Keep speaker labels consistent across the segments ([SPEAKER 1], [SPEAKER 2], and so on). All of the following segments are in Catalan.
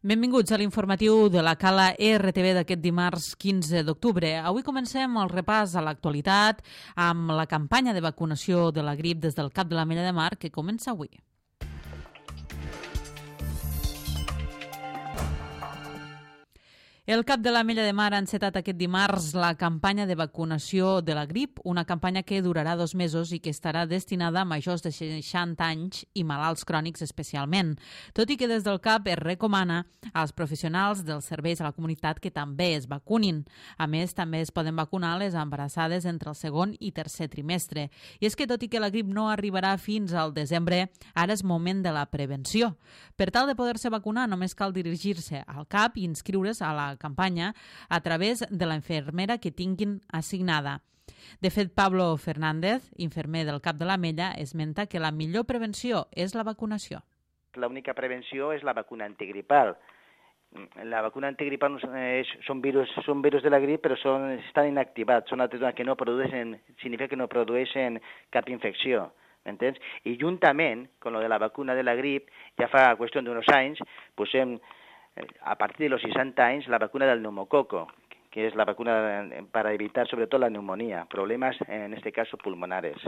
[SPEAKER 1] Benvinguts a l'informatiu de la Cala RTV d'aquest dimarts 15 d'octubre. Avui comencem el repàs a l'actualitat amb la campanya de vacunació de la grip des del Cap de l'Ametlla de Mar que comença avui. El Cap de l'Ametlla de Mar ha encetat aquest dimarts la campanya de vacunació de la grip, una campanya que durarà 2 mesos i que estarà destinada a majors de 60 anys i malalts crònics especialment, tot i que des del CAP es recomana als professionals dels serveis a la comunitat que també es vacunin. A més, també es poden vacunar les embarassades entre el segon i tercer trimestre. I és que, tot i que la grip no arribarà fins al desembre, ara és moment de la prevenció. Per tal de poder-se vacunar, només cal dirigir-se al CAP i inscriure's a la campanya a través de la infermera que tinguin assignada. De fet, Pablo Fernández, infermer del Cap de l'Ametlla, esmenta que la millor prevenció és la vacunació.
[SPEAKER 2] L'única prevenció és la vacuna antigripal. La vacuna antigripal són virus de la grip, però estan inactivats, són altres que no produeixen, significa que no produeixen cap infecció. M'entens? I juntament, con lo de la vacuna de la grip, ja fa qüestió d'uns anys, posem a partir de los 60 anys la vacuna del neumococo, que es la vacuna para evitar sobre todo la neumonía, problemas en este caso pulmonares.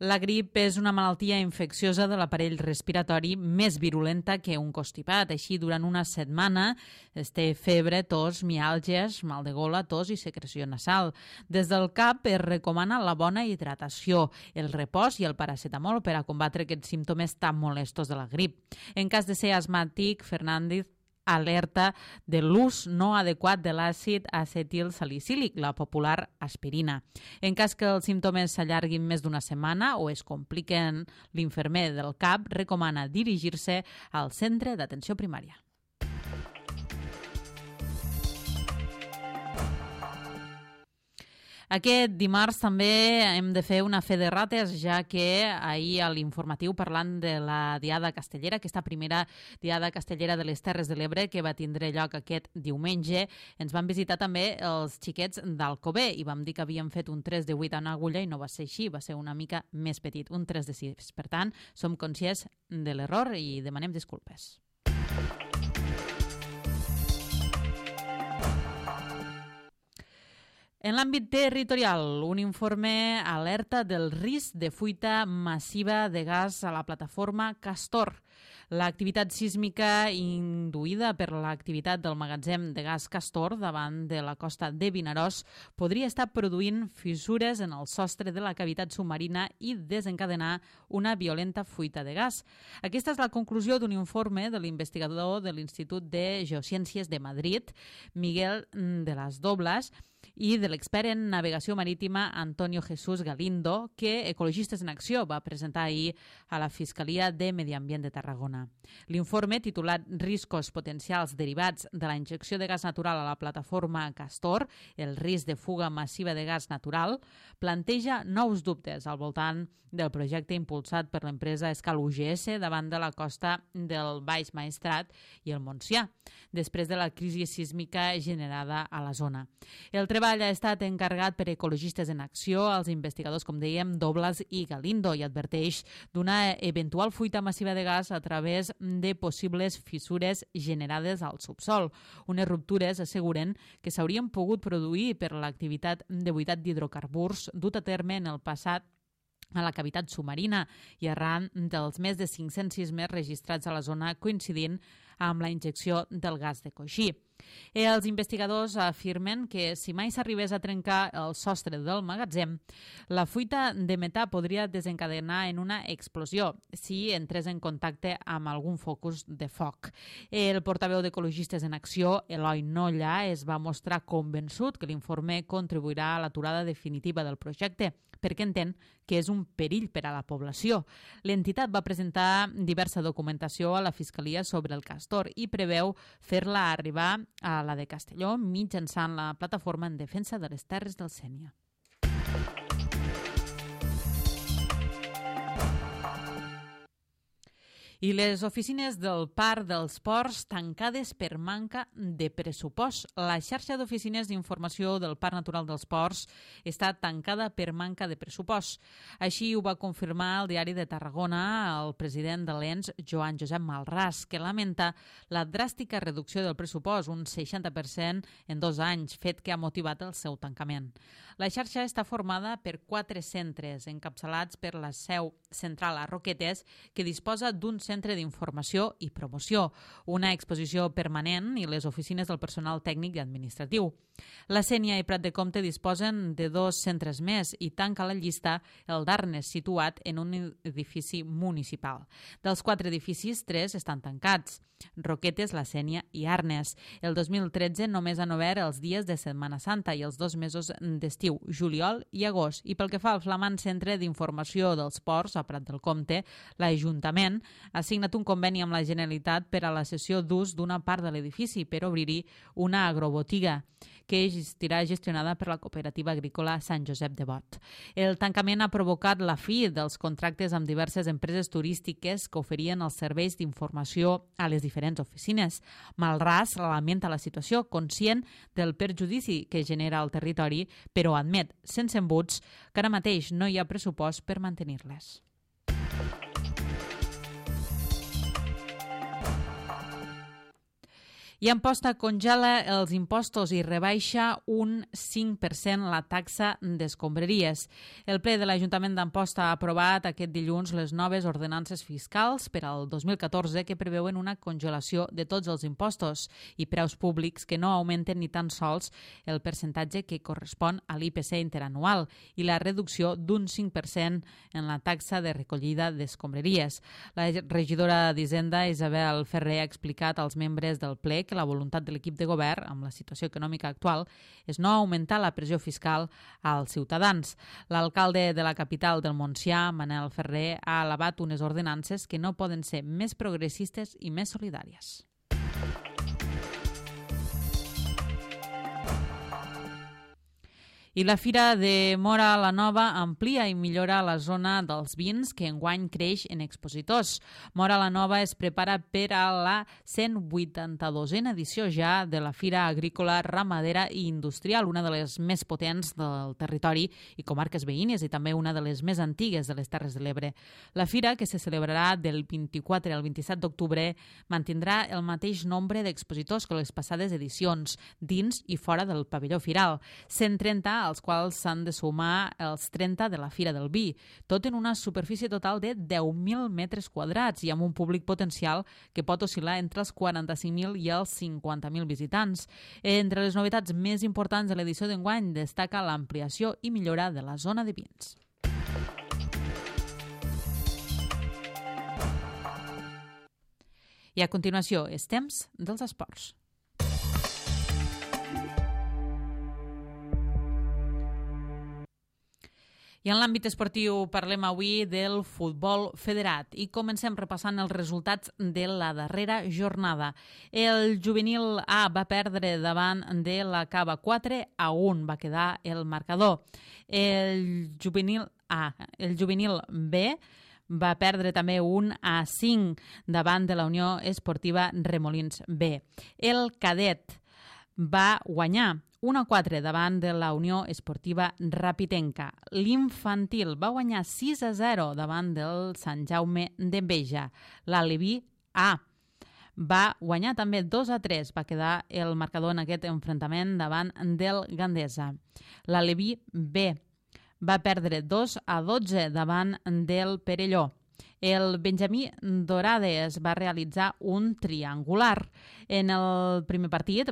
[SPEAKER 1] La grip és una malaltia infecciosa de l'aparell respiratori més virulenta que un constipat. Així, durant una setmana es té febre, tos, miàlgies, mal de gola, tos i secreció nasal. Des del CAP es recomana la bona hidratació, el repòs i el paracetamol per a combatre aquests símptomes tan molestos de la grip. En cas de ser asmàtic, Fernández alerta de l'ús no adequat de l'àcid acetilsalicílic, la popular aspirina. En cas que els símptomes s'allarguin més d'una setmana o es compliquen, l'infermer del CAP recomana dirigir-se al centre d'atenció primària. Aquest dimarts també hem de fer una fe de rates, ja que ahir a l'informatiu, parlant de la Diada Castellera, aquesta primera Diada Castellera de les Terres de l'Ebre que va tindre lloc aquest diumenge, ens van visitar també els xiquets d'Alcover i vam dir que havíem fet un 3 de 8 en agulla i no va ser així, va ser una mica més petit, un 3 de 6. Per tant, som conscients de l'error i demanem disculpes. En l'àmbit territorial, un informe alerta del risc de fuita massiva de gas a la plataforma Castor. L'activitat sísmica induïda per l'activitat del magatzem de gas Castor davant de la costa de Vinaròs podria estar produint fissures en el sostre de la cavitat submarina i desencadenar una violenta fuita de gas. Aquesta és la conclusió d'un informe de l'investigador de l'Institut de Geociències de Madrid, Miguel de las Dobles, i de l'expert en navegació marítima Antonio Jesús Galindo, que Ecologistes en Acció va presentar ahir a la Fiscalia de Medi Ambient de Tarragona. L'informe, titulat Riscos potencials derivats de la injecció de gas natural a la plataforma Castor, el risc de fuga massiva de gas natural, planteja nous dubtes al voltant del projecte impulsat per l'empresa Escal UGS davant de la costa del Baix Maestrat i el Montsià, després de la crisi sísmica generada a la zona. El treball ha estat encarregat per Ecologistes en Acció als investigadors, com dèiem, Dobles i Galindo, i adverteix d'una eventual fuita massiva de gas a través de possibles fissures generades al subsol. Unes ruptures, asseguren, que s'haurien pogut produir per l'activitat de buidat d'hidrocarburs dut a terme en el passat a la cavitat submarina i arran dels més de 500 sismes registrats a la zona coincidint amb la injecció del gas de coixí. Els investigadors afirmen que si mai s'arribés a trencar el sostre del magatzem, la fuita de metà podria desencadenar en una explosió si entrés en contacte amb algun focus de foc. El portaveu d'Ecologistes en Acció, Eloi Nolla, es va mostrar convençut que l'informe contribuirà a l'aturada definitiva del projecte, perquè entén que és un perill per a la població. L'entitat va presentar diversa documentació a la Fiscalia sobre el Castor i preveu fer-la arribar a la de Castelló mitjançant la plataforma en defensa de les terres del Sénia. I les oficines del Parc dels Ports tancades per manca de pressupost. La xarxa d'oficines d'informació del Parc Natural dels Ports està tancada per manca de pressupost. Així ho va confirmar el Diari de Tarragona el president de l'ENS, Joan Josep Malràs, que lamenta la dràstica reducció del pressupost, un 60% en 2 anys, fet que ha motivat el seu tancament. La xarxa està formada per 4 centres, encapçalats per la seu central a Roquetes, que disposa d'un centre d'informació i promoció, una exposició permanent i les oficines del personal tècnic i administratiu. La Sénia i Prat de Comte disposen de 2 centres més i tanca la llista el d'Arnes, situat en un edifici municipal. Dels 4 edificis, 3 estan tancats: Roquetes, la Sénia i Arnes. El 2013 només han obert els dies de Setmana Santa i els 2 mesos d'estiu, juliol i agost. I pel que fa al flamant centre d'informació dels ports a Prat del Comte, l'Ajuntament ha signat un conveni amb la Generalitat per a la cessió d'ús d'una part de l'edifici per obrir-hi una agrobotiga que estarà gestionada per la cooperativa agrícola Sant Josep de Bot. El tancament ha provocat la fi dels contractes amb diverses empreses turístiques que oferien els serveis d'informació a les diferents oficines. Malràs lamenta la situació, conscient del perjudici que genera al territori, però admet, sense embuts, que ara mateix no hi ha pressupost per mantenir-les. I Amposta congela els impostos i rebaixa un 5% la taxa d'escombraries. El ple de l'Ajuntament d'Amposta ha aprovat aquest dilluns les noves ordenances fiscals per al 2014 que preveuen una congelació de tots els impostos i preus públics que no augmenten ni tan sols el percentatge que correspon a l'IPC interanual i la reducció d'un 5% en la taxa de recollida d'escombraries. La regidora d'Hisenda, Isabel Ferrer, ha explicat als membres del ple que la voluntat de l'equip de govern, amb la situació econòmica actual, és no augmentar la pressió fiscal als ciutadans. L'alcalde de la capital del Montsià, Manel Ferrer, ha elevat unes ordenances que no poden ser més progressistes i més solidàries. I la Fira de Móra la Nova amplia i millora la zona dels vins que enguany creix en expositors. Móra la Nova es prepara per a la 182a edició ja de la Fira Agrícola, Ramadera i Industrial, una de les més potents del territori i comarques veïnes i també una de les més antigues de les Terres de l'Ebre. La Fira, que se celebrarà del 24 al 27 d'octubre, mantindrà el mateix nombre d'expositors que les passades edicions, dins i fora del pavelló firal. 130 als quals s'han de sumar els 30 de la Fira del Vi, tot en una superfície total de 10.000 metres quadrats i amb un públic potencial que pot oscil·lar entre els 45.000 i els 50.000 visitants. Entre les novetats més importants de l'edició d'enguany destaca l'ampliació i millora de la zona de vins. I a continuació, és temps dels esports. I en l'àmbit esportiu parlem avui del futbol federat i comencem repassant els resultats de la darrera jornada. El juvenil A va perdre davant de la Cava 4-1, va quedar el marcador. El juvenil B va perdre també 1-5 davant de la Unió Esportiva Remolins B. El cadet va guanyar 1-4 davant de la Unió Esportiva Rapitenca. L'infantil va guanyar 6-0 davant del Sant Jaume d'Enveja. L'Aleví A va guanyar també 2-3, va quedar el marcador en aquest enfrontament davant del Gandesa. L'Aleví B va perdre 2-12 davant del Perelló. El Benjamí Dorades va realitzar un triangular. En el primer partit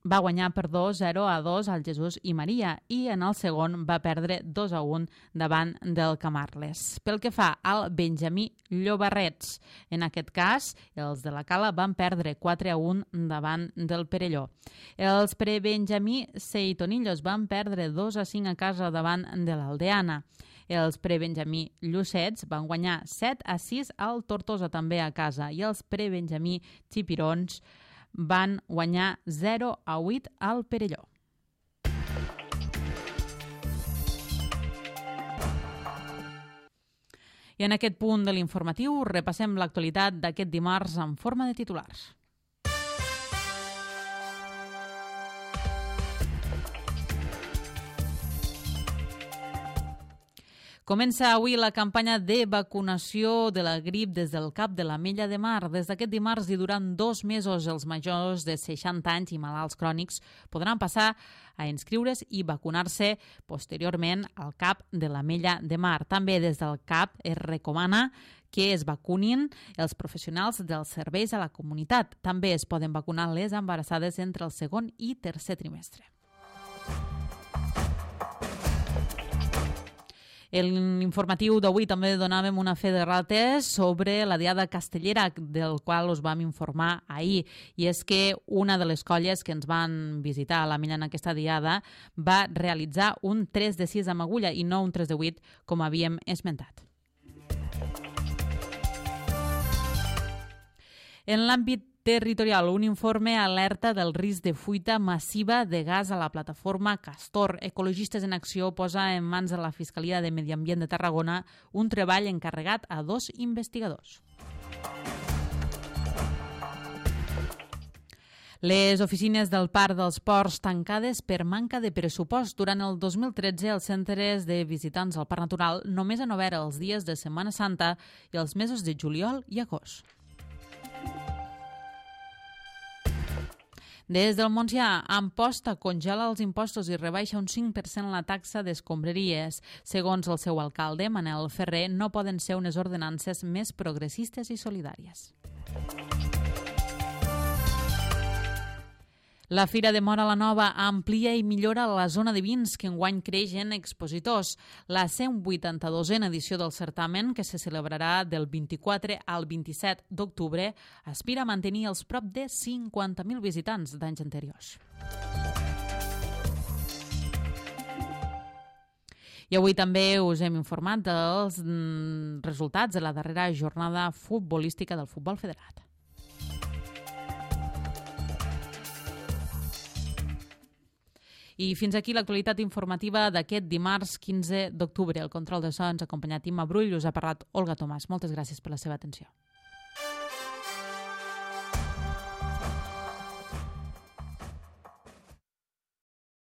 [SPEAKER 1] va guanyar per 2-0-2 al Jesús i Maria i en el segon va perdre 2-1 davant del Camarles. Pel que fa al Benjamí Llobarrets, en aquest cas, els de la Cala van perdre 4-1 davant del Perelló. Els prebenjamí Seitonillos van perdre 2-5 a casa davant de l'Aldeana. Els prebenjamí Llucets van guanyar 7-6 al Tortosa també a casa i els prebenjamí Xipirons van guanyar 0-8 al Perelló. I en aquest punt de l'informatiu repassem l'actualitat d'aquest dimarts en forma de titulars. Comença avui la campanya de vacunació de la grip des del CAP de l'Ametlla de Mar. Des d'aquest dimarts i durant 2 mesos, els majors de 60 anys i malalts crònics podran passar a inscriure's i vacunar-se posteriorment al CAP de l'Ametlla de Mar. També des del CAP es recomana que es vacunin els professionals dels serveis a la comunitat. També es poden vacunar les embarassades entre el segon i tercer trimestre. En l'informatiu d'avui també donàvem una fe de rates sobre la Diada Castellera, del qual us vam informar ahir. I és que una de les colles que ens van visitar a l'Ametlla en aquesta Diada va realitzar un 3 de 6 amb agulla i no un 3 de 8, com havíem esmentat. En l'àmbit territorial, un informe alerta del risc de fuita massiva de gas a la plataforma Castor. Ecologistes en Acció posa en mans de la Fiscalia de Medi Ambient de Tarragona un treball encarregat a 2 investigadors. Les oficines del Parc dels Ports tancades per manca de pressupost. Durant el 2013, els centres de visitants al Parc Natural només han obert els dies de Setmana Santa i els mesos de juliol i agost. Des del Montsià, Amposta congela els impostos i rebaixa un 5% la taxa d'escombraries. Segons el seu alcalde, Manel Ferrer, no poden ser unes ordenances més progressistes i solidàries. La Fira de Móra la Nova amplia i millora la zona de vins que enguany creix en expositors. La 182a edició del certamen, que se celebrarà del 24 al 27 d'octubre, aspira a mantenir els prop de 50.000 visitants d'anys anteriors. I avui també us hem informat dels resultats de la darrera jornada futbolística del futbol federat. I fins aquí l'actualitat informativa d'aquest dimarts 15 d'octubre. El control de so ens ha acompanyat Imma Brull, us ha parlat Olga Tomàs. Moltes gràcies per la seva atenció.